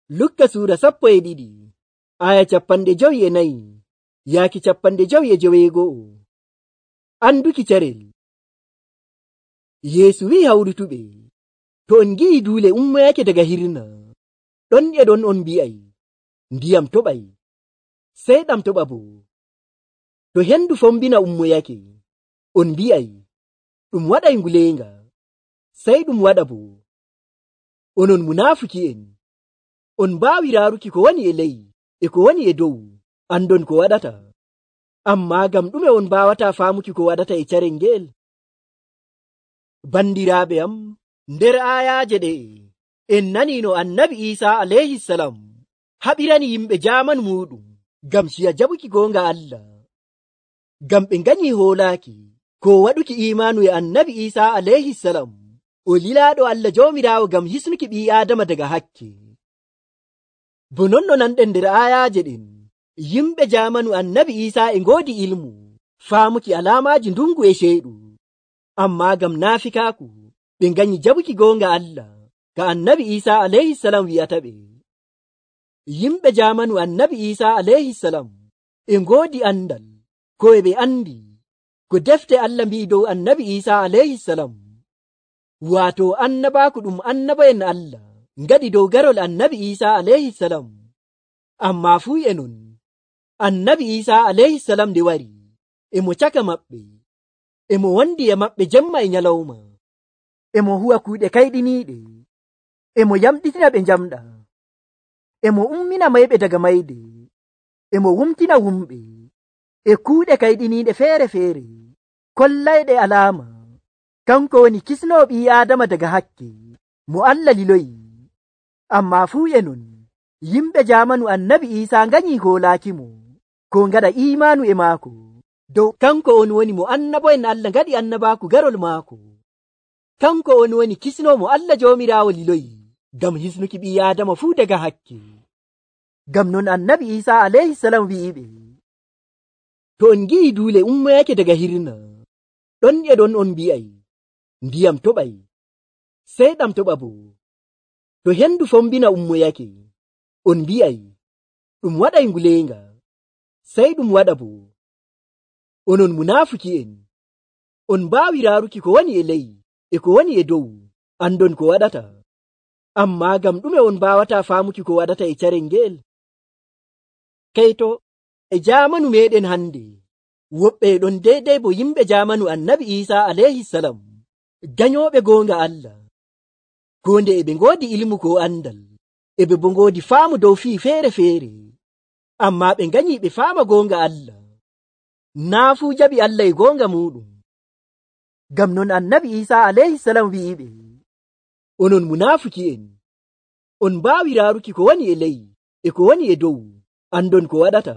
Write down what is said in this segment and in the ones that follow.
Lukka suura 12 aya 54 yaaki 55. Anduki carel. Yeesu wi'i hawrutuɓe, to on ngi'i duule ummoyake daga hirna, ɗon e ɗon on mbi'ay, ndiyam toɓay, sey ɗam toɓa boo. To hendu fombina ummoyake, on mbi'ay, ɗum waɗay nguleenga, sey ɗum waɗa boo. Onon munaafuki'en, on mbaawi raaruki ko woni e ley e ko woni e dow, andon ko waɗata. Ammaa ngam ɗume on mbaawataa faamuki ko waɗata e carel ngel? Bandiraaɓe am, nder aayaaje ɗe'e, en nanii no Annabi Iisaa alayhisalam haɓirani yimɓe jaamanu muuɗum ngam ciya jaɓuki goonga Allah. Ngam ɓe nganyii hoolaaki ko waɗuki iimaanu e Annabi Iisaa alayhisalam, o lilaaɗo Allah Joomiraawo ngam hisnuki ɓii Aadama daga hakke. Bo non no nanɗen nder aayaaje ɗen, yimɓe jaamanu Annabi Iisaa e ngoodi ilmu faamuki alaamaaji ndungu e ceyɗu, ammaa ngam naafikaaku ɓe nganyi jaɓuki goonga Allah ka Annabi Iisaa alayhisalam wi'ata ɓe. Yimɓe jaamanu Annabi Iisaa alayhisalam e ngoodi andal ko e ɓe andi ko defte Allah mbi'i dow Annabi Iisaa alayhisalam, waato annabaaku ɗum annaba'en Allah ngaɗi dow garol Annabi Iisaa alayhisalam. Ammaa fuu e non, Annabi Iisaa alayhisalam nde wari, e mo caka maɓɓe, e mo wondi e maɓɓe jemma e nyalawma, e mo huwa kuuɗe kayɗiniiɗe, e mo yamɗitina ɓe njamɗa, e mo ummina mayɓe daga mayde, e mo wumtina wumɓe, e kuuɗe kayɗiniiɗe feere-feere, kollayɗe alaama, kanko woni kisnoo ɓii Aadama daga hakke, mo Allah liloyi. Ammaa fuu e non, yimɓe jaamanu Annabi Iisaa nganyii hoolaakimo ko ngaɗa iimaanu e maako dow kanko on woni mo annabo'en Allah ngaɗi annabaaku garol maako. Kanko on woni kisnoo mo Allah Joomiraawo liloyi ngam hisnuki ɓii Aadama fuu daga hakke. Ngam non Annabi Iisaa alayhisalam wi'iɓe, to on ngi'i duule ummoyake daga hirna, ɗon e ɗon on mbi'ay, ndiyam toɓay, sey ɗam toɓa boo. To hendu fombina ummoyake, on mbi'ay, ɗum waɗay nguleenga, sey ɗum waɗa boo. Onon munaafuki'en, on mbaawi raaruki ko woni e ley e ko woni e dow, andon ko waɗata. Ammaa ngam ɗume on mbaawataa faamuki ko waɗata e carel ngel? Kayto e jaamanu meeɗen hande, woɓɓe ɗon deydey bo yimɓe jaamanu Annabi Iisaa alayhisalam, ganyooɓe goonga Allah. Gonde e ɓe ngoodi ilmu ko andal, e ɓe bo ngoodi faamu dow fii feere-feere, ammaa ɓe nganyii ɓe faama goonga Allah. Naa fuu jaɓi Allah e goonga muuɗum. Ngam non Annabi Iisaa alayhisalam wi'iɓe, onon munaafuki'en, on mbaawi raaruki ko woni e ley e ko woni e dow, andon ko waɗata.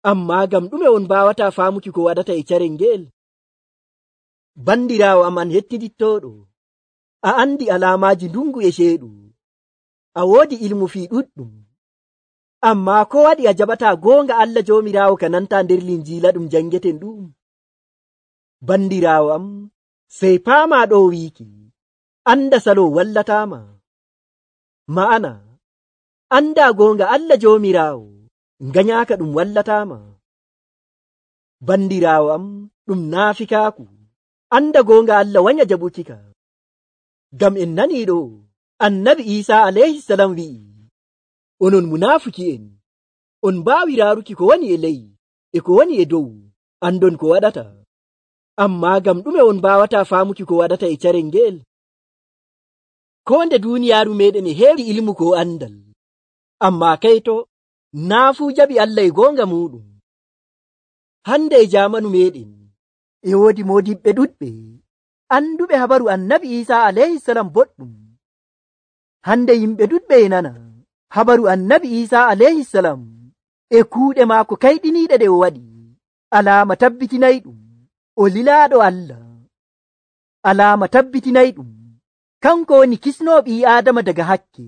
Ammaa ngam ɗume on mbaawataa faamuki ko waɗata e carel ngel? Bandiraawo am an hettidittooɗo, a andi alaamaaji ndungu e ceeɗu, a woodi ilmu fii ɗuɗɗum, ammaa ko waɗi a jaɓataa goonga Allah Joomiraawo ka nantaa nder Linjiila ɗum jangeten ɗum? Bandiraawo am, sey paamaa ɗo wiiki, anda salo wallataama. Ma'ana, andaa goonga Allah Joomiraawo, nganyaaka ɗum wallataama. Bandiraawo am, ɗum naafikaaku, anda goonga Allah wanya jaɓukika. Ngam en nanii ɗo, Annabi Iisaa alayhisalam wi'i, onon munaafuki'en, on mbaawi raaruki ko woni e ley e ko woni e dow, andon ko waɗata. Ammaa ngam ɗume on mbaawataa faamuki ko waɗata e carel ngel? Ko nde duuniyaaru meeɗen e heewi ilmu ko andal, ammaa kayto naa fuu jaɓi Allah e goonga muuɗum. Hande e jaamanu meeɗen e woodi moodiɓɓe ɗuɗɓe anduɓe habaru Annabi Iisaa alayhisalam boɗɗum. Hande yimɓe ɗuɗɓe e nana habaru Annabi Iisaa alayhisalam e kuuɗe maako kayɗiniiɗe ɗe o waɗi, alaama tabbitinayɗum o lilaaɗo Allah. Alaama tabbitinayɗum kanko woni kisnoo ɓii Aadama daga hakke,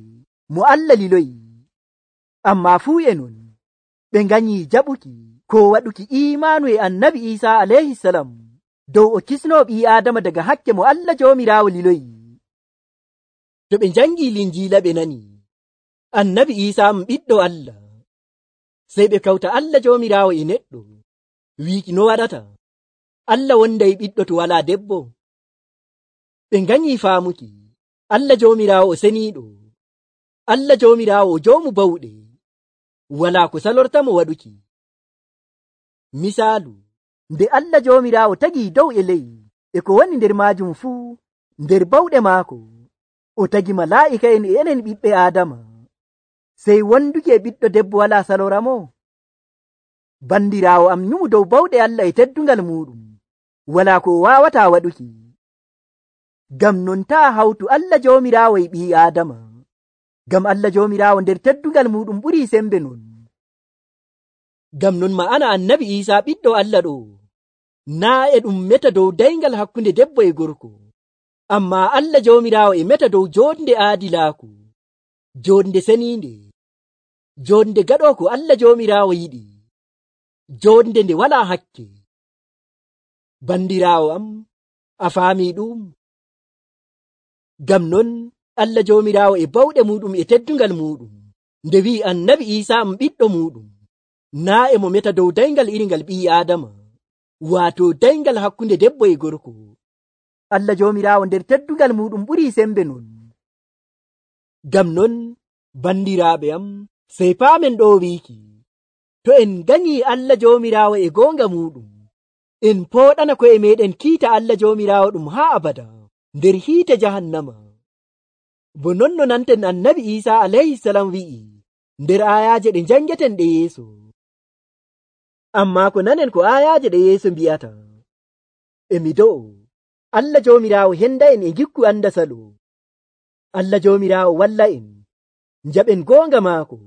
mo Allah liloyi. Ammaa fuu e non, ɓe nganyii jaɓuki ko waɗuki iimaanu e Annabi Iisaa alayhisalam dow o kisnoo ɓii Aadama daga hakke mo Allah Joomiraawo liloyi. To ɓe njangii Linjiila ɓe nani, annabi Isa ɓiɗɗo Allah. Sey ɓe kawta Allah Joomiraawo e neɗɗo wiiki no waɗata Allah wonday ɓiɗɗo to walaa debbo. Ɓe nganyii faamuki Allah Joomiraawo o seniiɗo, Allah Joomiraawo o joomu bawɗe, walaa ko salortamo waɗuki. Misaalu, nde Allah Joomiraawo tagii dow e ley e ko woni nder maajum fuu nder bawɗe maako, o tagi malaa'ika'en e enen ɓiɓɓe Aadama, sey wonduki e ɓiɗɗo debbo walaa saloramo. Bandiraawo am nyumu dow bawɗe Allah e teddungal muuɗum, walaa ko o waawataa waɗuki. Ngam non taa hawtu Allah Joomiraawo e ɓii Aadama, ngam Allah Joomiraawo nder teddungal muuɗum ɓurii sembe non. Ngam non ma'ana annabi Iisaa ɓiɗɗo Allah ɗo naa e ɗum meta dow dayngal hakkunde debbo e gorko, ammaa Allah Joomiraawo e meta dow joonde aadilaaku, joonde seniinde, joonde gaɗoo ko Allah Joomiraawo yiɗi, joonde nde walaa hakke. Bandiraawo am, a faamii ɗum? Ngam non Allah Joomiraawo e bawɗe muuɗum e teddungal muuɗum nde wi'i annabi Iisaa ɓiɗɗo muuɗum, naa e mo meta dow dayngal iringal ɓii Aadama, waato dayngal hakkunde debbo e gorko. Allah Joomiraawo nder teddungal muuɗum ɓurii sembe non. Ngam non bandiraaɓe am, sey paamen ɗo wiiki, to en nganyii Allah Joomiraawo e goonga muuɗum, en pooɗana ko'e meɗen kiita Allah Joomiraawo ɗum haa abada nder hiite jahannama. Bo non no nanten annabi Iisaa alayhisalam wi'i nder aayaaje ɗe njangeten ɗe yeeso. Ammaa ko nanen ko aayaaje ɗe yeeso mbi'ata, e mi do'o Allah Joomiraawo henda en e gikku anda salo. Allah Joomiraawo walla en njaɓen goonga maako,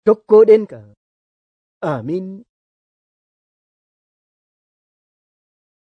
tokkoɗen ka. Amin.